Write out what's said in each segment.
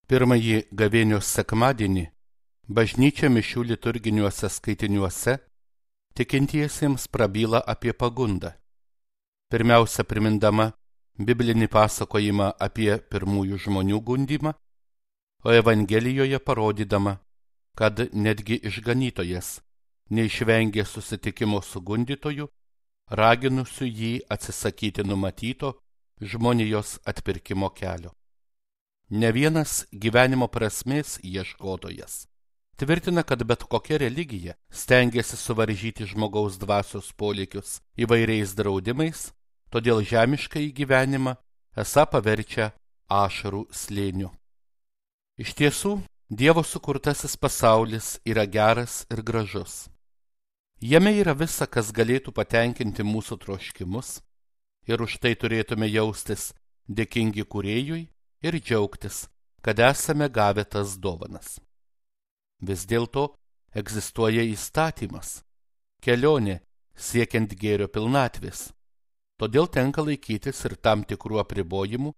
Pirmąjį gavėnios sekmadienį bažnyčia mišių liturginiuose skaitiniuose tikintiesiems prabyla apie pagundą. Pirmiausia, primindama biblinį pasakojimą apie pirmųjų žmonių gundymą, o Evangelijoje parodydama, kad netgi išganytojas neišvengė susitikimo su gundytoju, raginusiu jį atsisakyti numatyto žmonijos atpirkimo kelio. Ne vienas gyvenimo prasmės ieškotojas tvirtina, kad bet kokia religija stengiasi suvaržyti žmogaus dvasios polėkius įvairiais draudimais, todėl žemiškąjį gyvenimą esą paverčia ašarų slėniu. Iš tiesų, Dievo sukurtasis pasaulis yra geras ir gražus. Jame yra visa, kas galėtų patenkinti mūsų troškimus, ir už tai turėtume jaustis dėkingi Kūrėjui ir džiaugtis, kad esame gavę tas dovanas. Vis dėlto egzistuoja įstatymas, kelionė siekiant gėrio pilnatvės, todėl tenka laikytis ir tam tikrų apribojimų,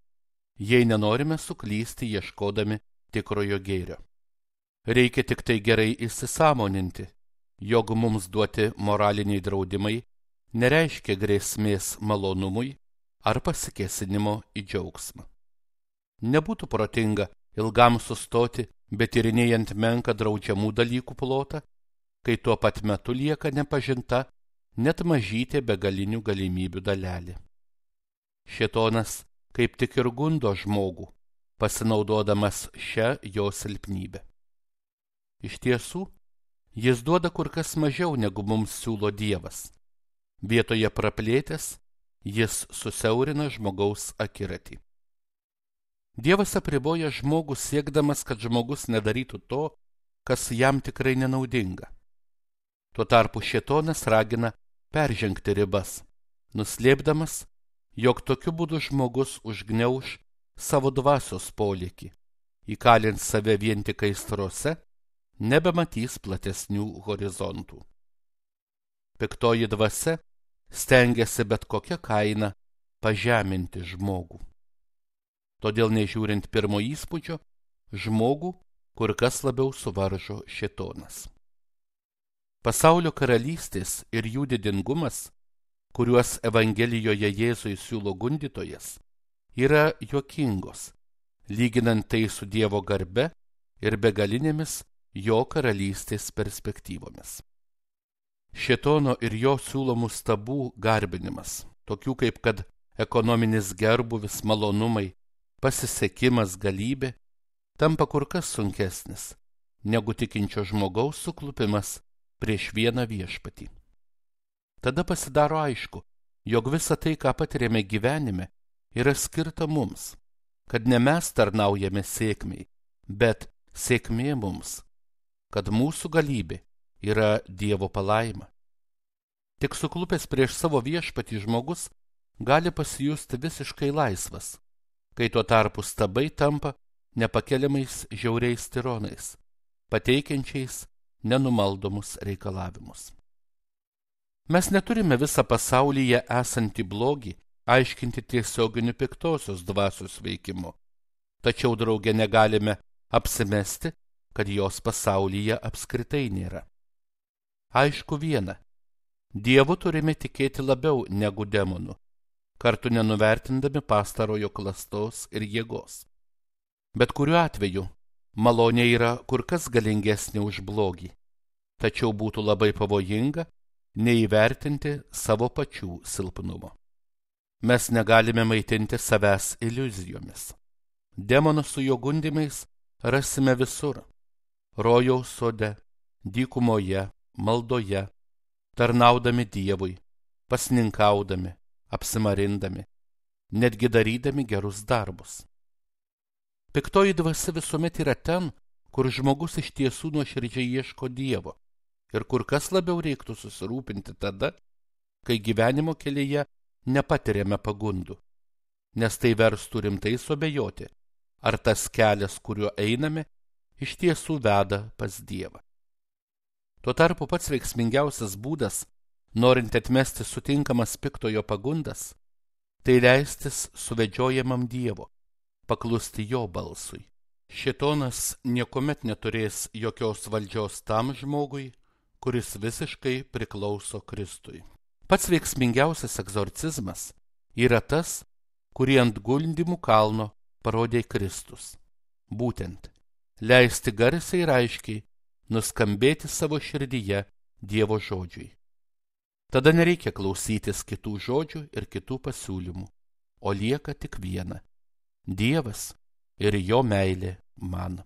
jei nenorime suklysti ieškodami tikrojo gėrio. Reikia tik tai gerai įsisąmoninti, jog mums duoti moraliniai draudimai nereiškia grėsmės malonumui ar pasikėsinimo į džiaugsmą. Nebūtų protinga ilgam sustoti, bet tyrinėjant menką draudžiamų dalykų plotą, kai tuo pat metu lieka nepažinta net mažytė begalinių galimybių dalelė. Šėtonas kaip tik ir gundo žmogų, pasinaudodamas šią jo silpnybę. Iš tiesų, jis duoda kur kas mažiau, negu mums siūlo Dievas. Vietoje praplėtęs, jis susiaurina žmogaus akiratį. Dievas apriboja žmogų siekdamas, kad žmogus nedarytų to, kas jam tikrai nenaudinga. Tuo tarpu šėtonas ragina peržengti ribas, nuslėpdamas, jog tokiu būdu žmogus užgniauš savo dvasios polėkį, įkalins save vien tik aistrose, nebematys platesnių horizontų. Piktoji dvasia stengiasi bet kokią kainą pažeminti žmogų. Todėl, nežiūrint pirmo įspūdžio, žmogų kur kas labiau suvaržo šėtonas. Pasaulio karalystės ir jų didingumas, kuriuos Evangelijoje Jėzui siūlo gundytojas, yra juokingos, lyginant tai su Dievo garbe ir begalinėmis jo karalystės perspektyvomis. Šėtono ir jo siūlomų stabų garbinimas, tokių kaip kad ekonominis gerbūvis, malonumai, pasisekimas, galybė, tampa kur kas sunkesnis negu tikinčio žmogaus suklupimas prieš vieną viešpatį. Tada pasidaro aišku, jog visa tai, ką patiriame gyvenime, yra skirta mums, kad ne mes tarnaujame sėkmei, bet sėkmė mums, kad mūsų galybė yra Dievo palaima. Tik suklupęs prieš savo viešpatį žmogus gali pasijusti visiškai laisvas, kai tuo tarpu stabai tampa nepakeliamais žiauriais tironais, pateikiančiais nenumaldomus reikalavimus. Mes neturime visą pasaulyje esantį blogį aiškinti tiesioginiu piktosios dvasios veikimu, tačiau drauge negalime apsimesti, kad jos pasaulyje apskritai nėra. Aišku viena, Dievu turime tikėti labiau negu demonų, kartu nenuvertindami pastarojo klastos ir jėgos. Bet kuriuo atveju malonė yra kur kas galingesnė už blogį, tačiau būtų labai pavojinga neįvertinti savo pačių silpnumo. Mes negalime maitinti savęs iliuzijomis. Demonų su jo gundymais rasime visur – rojaus sode, dykumoje, maldoje, tarnaudami Dievui, pasninkaudami, apsimarindami, netgi darydami gerus darbus. Piktoji dvasia visuomet yra ten, kur žmogus iš tiesų nuoširdžiai ieško Dievo ir kur kas labiau reiktų susirūpinti tada, kai gyvenimo kelyje nepatiriame pagundų, nes tai verstų rimtai suabejoti, ar tas kelias, kuriuo einame, iš tiesų veda pas Dievą. Tuo tarpu pats veiksmingiausias būdas, norint atmesti sutinkamas piktojo pagundas, tai leistis suvedžiojamam Dievo, paklusti jo balsui, Šėtonas niekuomet neturės jokios valdžios tam žmogui, kuris visiškai priklauso Kristui. Pats veiksmingiausias egzorcizmas yra tas, kurį ant guldymų kalno parodė Kristus. Būtent leisti garsiai ir aiškiai nuskambėti savo širdyje Dievo žodžiui. Tada nereikia klausytis kitų žodžių ir kitų pasiūlymų, o lieka tik viena – Dievas ir jo meilė man.